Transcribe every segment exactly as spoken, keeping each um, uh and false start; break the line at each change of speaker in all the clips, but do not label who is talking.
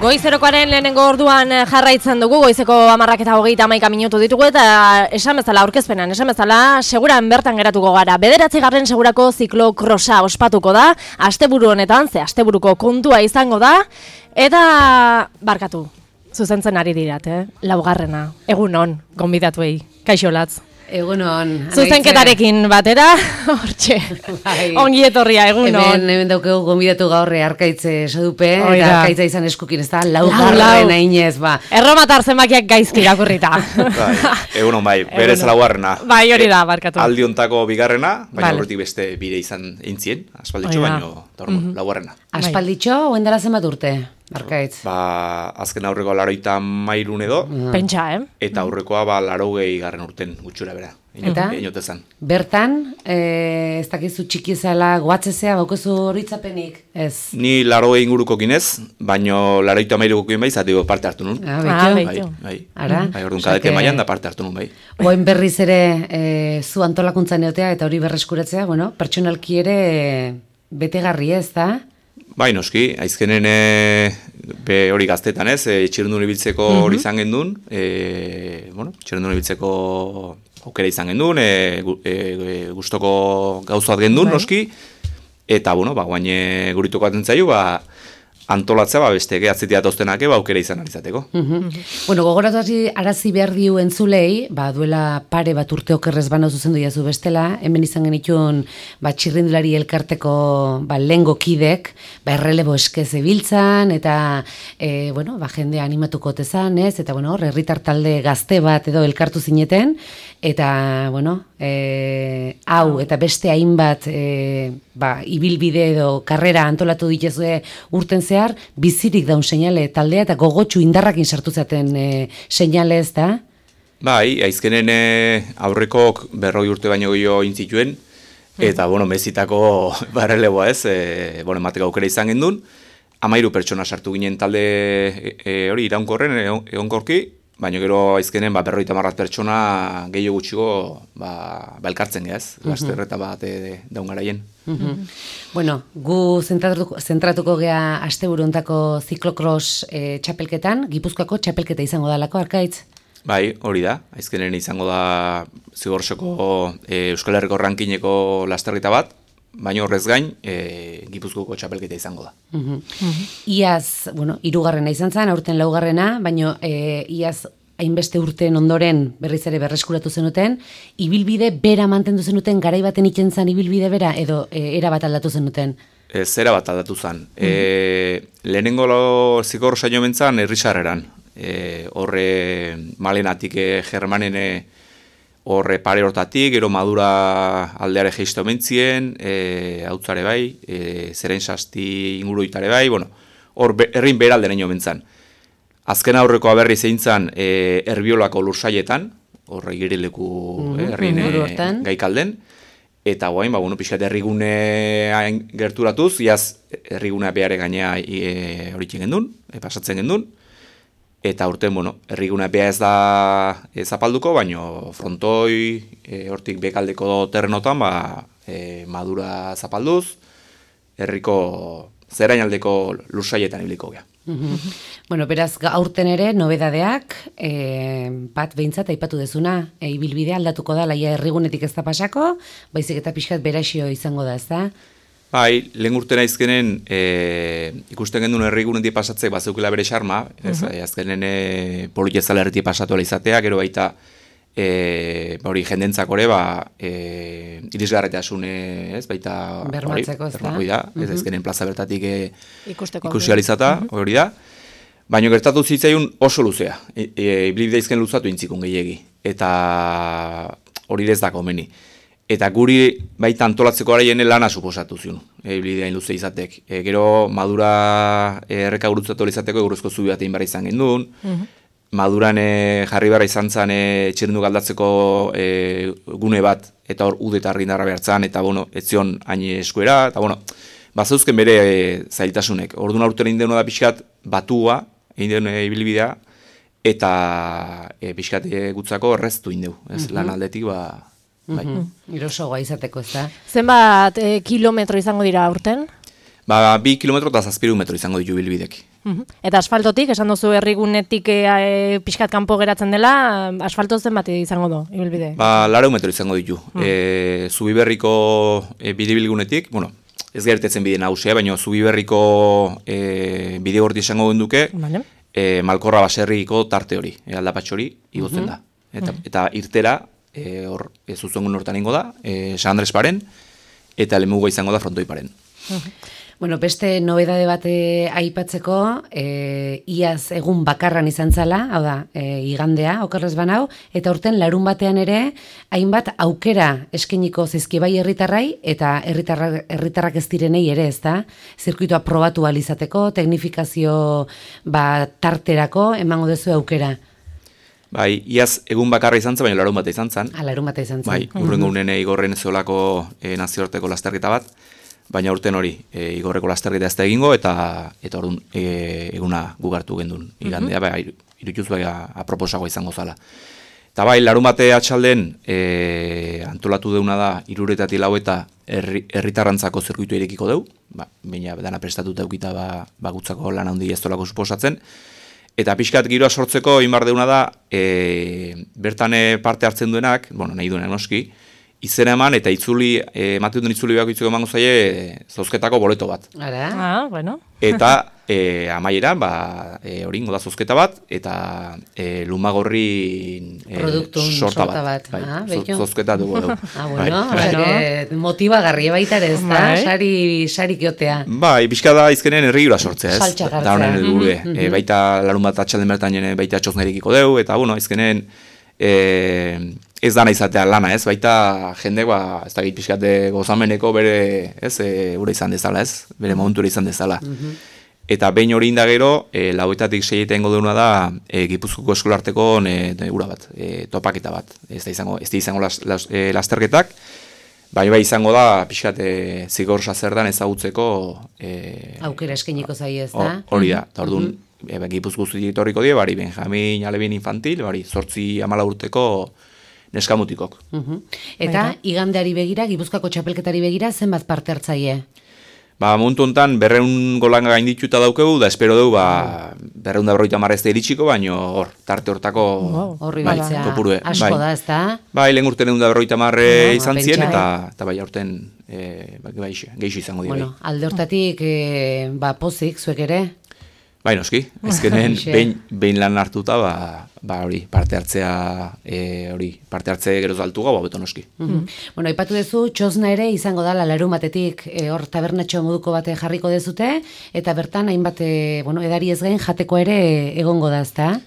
Goizerokoaren lehenengo orduan jarraitzen dugu, goizeko hamarrak eta hogeita hamaika minutu ditugu eta esan bezala aurkezpenan, esan bezala seguran bertan geratuko gara. Bederatzigarren segurako ziklokrosa ospatuko da, asteburu honetan, ze asteburuko kontua izango da, eta barkatu, zuzentzen ari dirat, eh? Laugarrena, egun on, gonbidatuei, kaixo latz.
Egunon.
Zuzenketarekin batera, hortxe, ongi etorria, egunon.
Hemen, hemen daukegu gonbidatu gaurre Arkaitze Sadupe, eta Arkaitza izan eskukin, ez da, laugarren ainez, ba.
Erromatar zenbakiak gaizki irakurrita.
Bai, egunon bai, berez laugarrena.
Bai, hori da, barkatu.
Aldi hontako bigarrena, baina horretik beste bire izan eintzien, aspalditxo, baina laugarrena.
Aspalditxo, oen dara zenbat urte? Arkaitz.
Ba, azken aurrekoa laroita mairun edo.
Pentsa, eh?
Eta aurrekoa ba larogei garren urten gutxura bera.
Eta? Bertan, ez dakizu txikizala guatzezea, baukezu horitzapenik? Ez.
Ni larogei inguruko ginez, baino laroita mairuko gin bai, zati parte hartu nun.
Ah, baitu.
Bai, bai.
Ara?
Bai, orduan kadete maian da parte hartu nun bai.
Oen berriz ere zu antolakuntzan eotea eta hori berreskuratzea, bueno, pertsonalki ere betegarri ez da?
Bai, noski, aizkenen be hori gaztetan ez, e, txirrendun ibiltzeko hori izan gendun, e, bueno, txirrendun ibiltzeko aukera izan gendun, e, e, gustoko gauzat gendun, bai. Noski, eta, bueno, ba, guaine guritoko atentzaiu, ba, antolatzea, ba, beste, gehatzetia toztenake, ba, aukera izan alizateko.
Uh-huh. Bueno, gogoratu hasi arazi behar diu entzulei, ba, duela pare bat urte okerrez bana zuzendu jazu bestela, hemen izan genitun, ba, txirrindulari elkarteko, ba, lengo kidek, ba, errelebo eskez ebiltzan, eta, e, bueno, ba, jende animatuko tezan, ez, eta, bueno, herritar talde gazte bat edo elkartu zineten, eta, bueno, e, hau, eta beste hainbat, e, ba, ibilbide edo karrera antolatu dituzue urten zehar, bizirik daun seinale taldea eta gogotsu indarrakin sartu zaten e, seinale ez da?
Bai, aizkenen e, aurrekok berroi urte baino gehiago intzituen, eta, bueno, mezitako barreleboa ez, e, bueno, emateko aukera izan gendun, amairu pertsona sartu ginen talde e, e, hori iraunkorren, egonkorki, baina gero aizkenen ba, berroita marrat pertsona gehiago gutxiko ba, belkartzen gehaz, uh-huh. Lasterreta bat e, daungaraien.
Uh-huh. Bueno, gu zentratuko, zentratuko gea asteburu hontako ziklokros e, txapelketan, Gipuzkoako txapelketa izango dalako, Arkaitz?
Bai, hori da, aizkenen izango da Zigorsoko e, Euskal Herriko rankineko lasterreta bat, baina horrez gain, e, Gipuzkoako txapelketa izango da.
Uh-huh. Uh-huh. Iaz, bueno, hirugarrena izan zen, aurten laugarrena, baina e, iaz hainbeste urten ondoren berriz ere berreskuratu zenuten, ibilbide bera mantendu zenuten, garai baten itzen zen ibilbide bera, edo e, era bat aldatu zenuten?
Ez, era bat aldatu zen. Uh-huh. E, lehenengo zikor saio mentzan herrisarreran. E, horre malenatik e, germanene horre pare hortatik, gero madura aldeare geizto mentzien, e, hautzare bai, e, zeren sasti inguruitare bai, bueno, hor be, errin beralde neño mentzan. Azken aurrekoa berri zeintzan e, erbiolako lursaietan, horre girileku mm-hmm. e, errin e, gaikalden, eta guain, ba, bueno, pixkat errigune gerturatuz, iaz errigunea behare gainea e, horitzen gendun, e, pasatzen gendun, eta urten, bueno, erriguna beha ez da e, zapalduko, baino frontoi, e, hortik bekaldeko terrenotan, ba, e, madura zapalduz, herriko zerainaldeko lursaietan ibiliko gea.
Uh-huh. Bueno, beraz, aurten ere, nobedadeak, e, bat behintzat aipatu dezuna, e, ibilbidea aldatuko da, laia errigunetik ez da pasako, baizik eta pixkat beraxio izango da, ez da?
Bai, lehen urtena izkenen e, ikusten gendun herrigunetik pasatzek bazeukela bere xarma, ez, uh-huh. azkenen e, politezala herritik pasatu ala izatea, gero baita e, hori jendentzakore, ba, e, irisgarretasune, ez, baita
bermatzeko, ez da?
da, ez uh-huh. azkenen plaza bertatik e, ikusi alizata, uh-huh. hori da. Baina gertatu zitzaiun oso luzea, e, e, ibilbide izken luzatu intzikun gehiegi, eta hori ez da komeni. Eta guri baita antolatzeko araien lana suposatu zion, e, bideain luze izatek. E, gero madura erreka gurutzatu izateko eguruzko zubi bat egin barra izan gendun, uh-huh. maduran e, jarri barra izan zen e, txirrindu galdatzeko e, gune bat, eta hor ude eta argindarra behartzan, eta bueno, etzion hain eskuera, eta bueno, bazeuzken bere e, zailtasunek. Orduan aurten egin denu da pixkat batua, egin denu e, ibilbidea, eta e, pixkat e, gutzako erreztu indeu, ez uh-huh. lan aldetik ba... Bai.
Mm-hmm. Irosoa izateko, ez da?
Zenbat eh, kilometro izango dira aurten?
Ba, bi kilometro eta zazpiru metro izango ditu bilbidek.
Mhm. Eta asfaltotik, esan duzu herrigunetik e, pixkat kanpo geratzen dela, asfalto zen bat izango du, ibilbide?
Ba, lareu metro izango ditu. Mm. E, Zubiberriko e, bidibilgunetik, bueno, ez gertetzen bide nagusia, baina Zubiberriko e, bide gorti izango genduke, vale. e, Malkorra baserriko tarte hori, e, aldapatxo hori, igotzen mm-hmm. da. Eta, mm. eta irtera, e, hor, e, zuzengun hortan ingo da, e, San Andres paren, eta Lemuga izango da frontoi paren.
Mm-hmm. Bueno, beste nobedade bate aipatzeko, e, iaz egun bakarran izan zala, hau da, e, igandea, okerrez banau, eta urten larun batean ere, hainbat aukera eskeniko zizkibai herritarrai, eta herritarrak, herritarrak ez direnei ere, ez da, zirkuitoa probatu alizateko, teknifikazio ba, tarterako, emango dezu aukera.
Bai, iaz egun bakarra izan zen, baina larun bate izan zen.
Ah, larun bate izan zen.
Bai, urrengo unen igorren zeolako e, nazioarteko lasterketa bat, baina urten hori, e, igorreko lasterketa ez da egingo, eta eta orduan e, eguna gugartu gendun. Igandea, mm -hmm. bai, irutuz bai aproposagoa izango zala. Eta bai, larun bate atxalden e, antolatu deuna da, iruretatik lau eta herritarrantzako zirkuitu irekiko deu, ba, baina dana prestatuta eukita ba, bagutzako lan handi ez dolako suposatzen, eta pixkat giroa sortzeko inbar deuna da, e, bertan parte hartzen duenak, bueno, nahi duenak noski, izena eman eta itzuli, ematen duen itzuli behako itzuleko emango zaie, zozketako boleto bat.
Ara?
Ah, bueno.
Eta e, amaieran, ba, e, hori ingo da zozketa bat, eta e, lumagorri e,
produktun
sorta,
sorta
bat.
bat.
Bai,
Ah,
zo, zozketa dugu dugu.
Ah, bueno, bai. Motibagarri baita ere, ez da? Sari, sari kiotea.
Bai, pixka da izkenen herriura sortzea, ez?
Saltxa gartzea.
Da honen helburue. Mm -hmm. e, baita larun bat atxalden bertan jene, baita txosnerikiko dugu, eta bueno, izkenen e, ez dana izatea lana, ez? Baita jende, ba, ez da git pixkate gozameneko bere, ez, e, ura izan dezala, ez? Bere momentura izan dezala. Mm -hmm. Eta behin hori indagero, e, lauetatik seietan ingo duena da, e, Gipuzkoako eskolarteko e, ura bat, e, topaketa bat. Ez da izango, ez da izango las, las, e, lasterketak, baina bai izango da, pixkat, e, zigorsa zer dan ezagutzeko... E,
aukera eskeniko zai ez da?
Hori da, eta orduan, mm -hmm. e, Gipuzko zutik etorriko die, bari Benjamin Alebin infantil, bari zortzi amala urteko neskamutikok.
Uh -huh. Eta Baita. Igandeari begira, Gipuzkoako txapelketari begira, zenbat parte hartzaile?
Ba, momentu honetan, berreun golanga gaindituta daukegu, da espero dugu, ba, berreun da berroita marrezte iritsiko, baino hor, tarte hortako...
Horri
bai,
biltzea,
kopurue,
asko
bai.
da, ez da?
Bai, lehen urten egun da berroita marre
no,
izan
ba,
zien,
pentsa,
eta, eta bai, aurten e, bai, geixo izango dira.
Bueno, alde hortatik, e, ba, pozik, zuek ere?
Bai, noski, ezkenen behin, behin lan hartuta, ba, ba hori, parte hartzea, e, hori, parte hartze geroz altu gau, beto noski.
Mm -hmm. Bueno, aipatu duzu, txosna ere izango dala larun batetik, e, hor tabernatxo moduko bate jarriko dezute, eta bertan hainbat, e, bueno, edari ez gain jateko ere egongo da, ezta?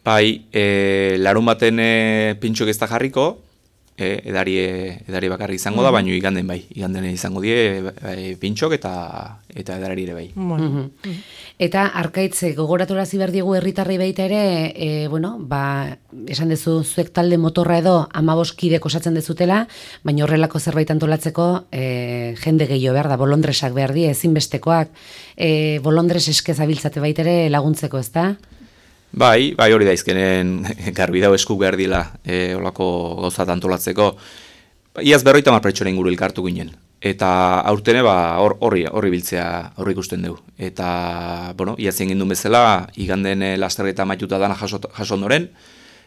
Bai, e, larun baten e, pintxok ez da jarriko, e, edari, edari bakarri izango mm -hmm. da, baino iganden bai, iganden izango die e, pintxok eta, eta edari ere bai.
Bueno. Mm -hmm. Eta arkaitze gogoratorazi behar diegu herritarrei baita ere, e, bueno, ba, esan dezu zuek talde motorra edo amabos kidek osatzen dezutela, baina horrelako zerbait antolatzeko e, jende gehiago behar da, bolondresak behar die, ezinbestekoak, e, bolondres eskez abiltzate baita ere laguntzeko, ez da?
Bai, bai hori da izkenen garbi dau eskuk behar dila e, olako gauzat antolatzeko. Iaz berroita mar pertsona inguru elkartu ginen. Eta aurtene ba horri horri biltzea horri ikusten dugu. Eta, bueno, iaz egin duen bezala, iganden e, lasterketa amaituta dana jaso, jaso ondoren,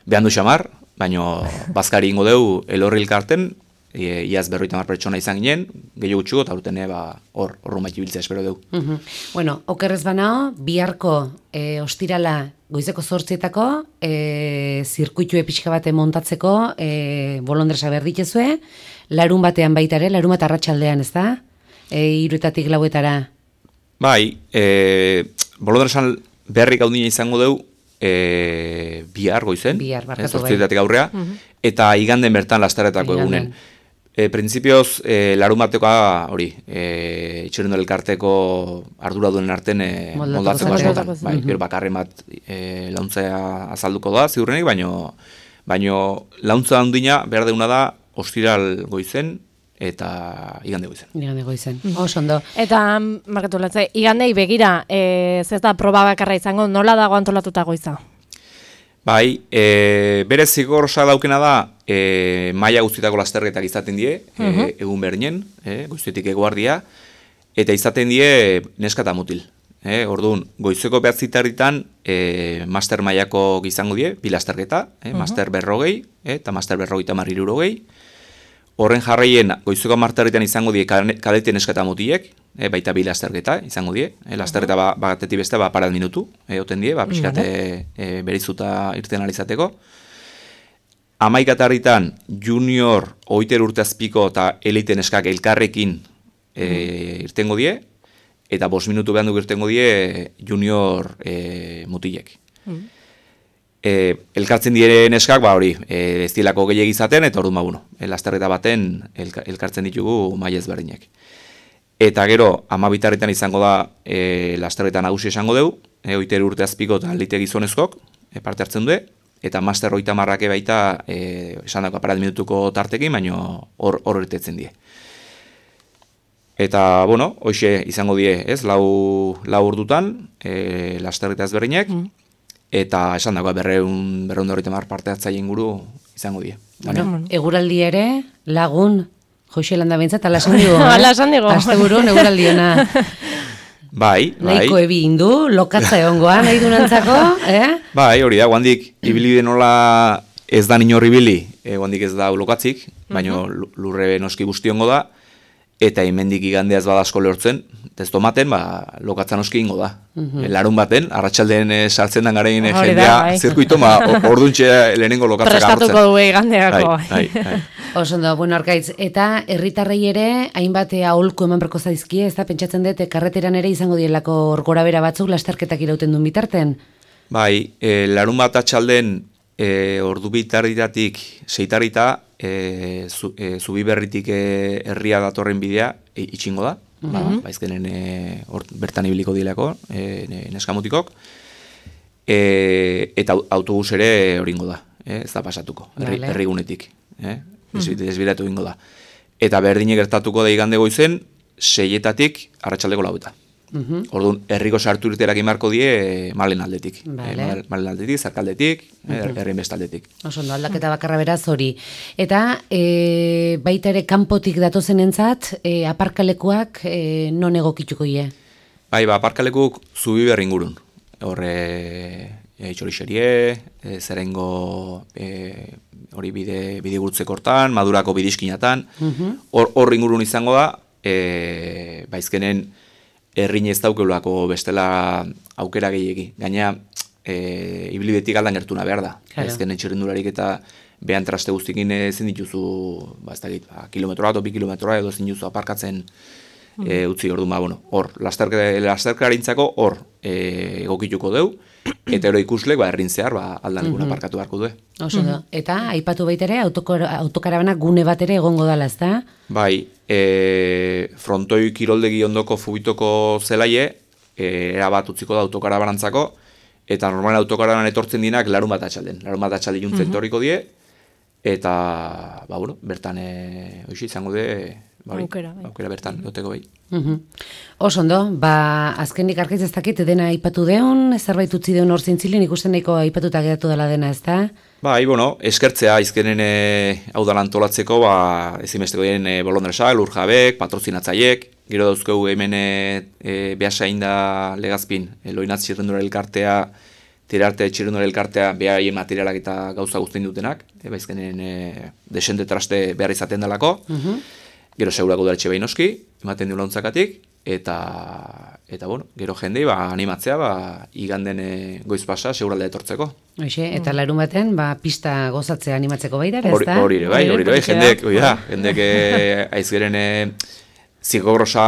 behan du xamar, baino bazkari ingo dugu elorri elkarten, e, iaz berroita mar pertsona izan ginen, gehiago gutxugo, eta aurtene ba hor, horru maiti biltzea espero dugu.
Uh -huh. Bueno, okerrez banao, biharko e, ostirala goizeko zortzietako, e, zirkuitue pixka bate montatzeko, e, bolondresa behar ditezue, larun batean baita ere, larun bat arratsaldean, ez da? E, iruetatik lauetara.
Bai, e, bolondresan berrik gaudina izango dugu, e, bihar goizen,
bihar, barkatu bai.
zortzietatik aurrea, uh -huh. eta iganden bertan lastaretako egunen. E, Printzipioz, e, larun batekoa hori, e, itxerendo elkarteko ardura duen arten e, moldatzeko askotan. Bai, gero bakarren bat e, launtzea azalduko da, ziurrenik, baino, baino launtza handina behar deuna da ostiral goizen eta igande goizen.
Igande goizen, oso ondo.
Eta, markatu latze, igandei begira, e, ez da proba bakarra izango, nola dago antolatuta goiza?
Bai, e, bere zigorra daukena da, e, maila guztietako lasterketak izaten die, uh -huh. e, egun berdinen, e, goiztetik eguardia, eta izaten die neska eta mutil. Eh, orduan, goizeko behatzitarritan eh, master mailako izango die, bi lasterketa, eh, uh-huh. master berrogei, eh, eta master berrogei eta marri hirurogei. Horren jarraien, goizeko marterritan izango die kadete neska eta mutilek, eh, baita bi lasterketa izango die. Eh, lasterketa uh-huh. ba, batetik beste, ba, parat minutu, eh, oten die, ba, pixkate uh-huh. eh, berizuta irten alizateko. Amaikatarritan junior oiter urteazpiko eta elite neskak elkarrekin e, irtengo die, eta bost minutu behan duk irtengo die junior e, mutilek. Mm. E, elkartzen dire neskak, ba hori, e, ez dilako gehiago izaten, eta orduan ba, bueno, lasterreta baten elka, elkartzen ditugu maila ezberdinek. Eta gero, amabitarritan izango da e, lasterreta nagusi esango dugu, e, oiter urteazpiko eta elite gizonezkok, e, parte hartzen du, eta master hogeita marrake baita e, esan dako aparat minutuko tartekin, baina hor hor irtetzen die. Eta, bueno, hoxe izango die, ez, lau, lau ordutan, e, lasterreta ezberdinek, mm. eta esan dako berreun, berreun da hogeita mar parte hartzaile inguru izango die.
Bueno, eguraldi ere, lagun, Joxe landa bintzat, ala esan digo,
ala esan digo.
Aste burun eguraldiona.
Bai, bai.
Nahiko ebi indu, lokatza egongoa, nahi dunantzako, eh?
Bai, hori da, guandik, ibili denola ez da inorri ibili, e, guandik ez da lokatzik, baina uh-huh. lurre noski guztiongo da, eta hemendik igandeaz badasko lehortzen, ez tomaten, ba, lokatza noski ingo da. Uh-huh. Larun baten, arratsaldeen e, sartzen den garain jendea, bai. Zirkuito, ma, orduntxe lehenengo lokatzak agartzen.
Prestatuko du igandeako.
Bai, bai, bai.
Oso ondo, bueno, Arkaitz, eta herritarrei ere, hainbat aholku eman berko zaizkie, ez da, pentsatzen dut, karreteran ere izango dielako gora bera batzuk lasterketak irauten duen bitarten?
Bai, e, larun bat atxalden e, ordu bitarritatik seitarrita, e, zu, e, zubi berritik e, herria datorren bidea e, itxingo da, uh-huh. ba, baizkenen e, or, bertan ibiliko dilako, e, neskamutikok, e, eta autobus ere horingo da, e, ez da pasatuko, herri, vale. Herrigunetik. Eh? Desbiratu ingo da. Eta berdine gertatuko da igande goizen, seietatik arratsaldeko laueta. Uh-huh. Orduan, herriko sartu irterak imarko die malen aldetik. Vale. E, malen aldetik, zarkaldetik, uh-huh. herrin bestaldetik.
Oso ondo, aldaketa bakarra beraz hori. Eta e, baita ere kanpotik datozen entzat, e, aparkalekuak e, non egokituko ie?
Bai, ba, aparkalekuk zubi berri ingurun. Horre... E, Itxorixerie, e, zerengo e, hori bide, bide gurtzeko hortan, madurako bidizkinatan, hor uh-huh. ingurun izango da, e, baizkenen errin ez daukeulako bestela aukera gehiegi. Gaina, e, ibilibetik aldan gertuna behar da. Claro. Baizkenen txirrindularik eta behan traste guztikin ezin dituzu, ba, ez da git, ba, kilometroa edo bi kilometroa edo ezin dituzu aparkatzen uh-huh. e, utzi orduan, ba, bueno, hor, lasterkarintzako hor e, egokituko deu, eta ero ikuslek, ba, errin zehar, ba, aldan eguna
uh-huh.
parkatu beharko du.
Oso da. Eta, aipatu baitere, autokarabana gune bat ere egongo dala, ez da?
Bai, e, frontoi kiroldegi ondoko fubitoko zelaie, e, erabat utziko da autokarabanantzako, eta normalen autokarabanan etortzen dinak larun bat atxalden. Larun bat atxalde juntzen uh-huh. torriko die, eta, ba, bueno, bertan, e, oixi, izango de, ba,
aukera, bai.
aukera bertan, goteko bai.
Uh-huh. Oso ondo, ba, azkenik Arkaitz ez dakit, dena aipatu deun, zerbait utzi deun hor zintzilin, ikusten nahiko aipatuta geratu dela dena, ez da?
Bai, bueno, eskertzea, izkenen e, hau da antolatzeko, ba, ezimesteko diren e, bolondresak, lurjabek, patrozinatzaiek, gero dauzkegu hemen e, e, behasain da legazpin, e, loinatz txirrendura elkartea, tirarte txirrendura elkartea, behaien materialak eta gauza guztien dutenak, e, ba, izkenen e, desente traste behar izaten dalako, uh-huh. gero segurako daretxe behin oski, ematen du launtzakatik, eta, eta bueno, gero jendei ba, animatzea ba, iganden e, goiz pasa seguralde etortzeko.
Oixe, eta larun baten, ba, pista gozatzea animatzeko baita, ez da?
Hori ere bai, hori ere bai, jendek, oi da, jendek e, aizgeren e, zikogrosa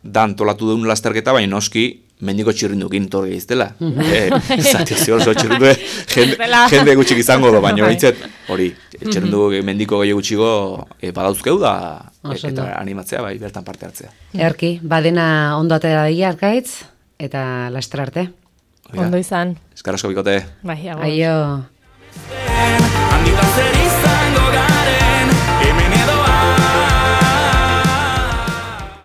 dan tolatu duen lasterketa, baina noski, mendiko txirrindukin torge iztela. Zati, oso txirrindu, jende, jende gutxik izango do, baina horitzet, hori, txirrindu mendiko gehi gutxiko e, badauzkeu da, e, eta animatzea, bai, bertan parte hartzea.
Erki, badena ondo atera daia, Arkaitz, eta laster arte.
Ondo izan.
Eskarrasko bikote.
Bai,
aio.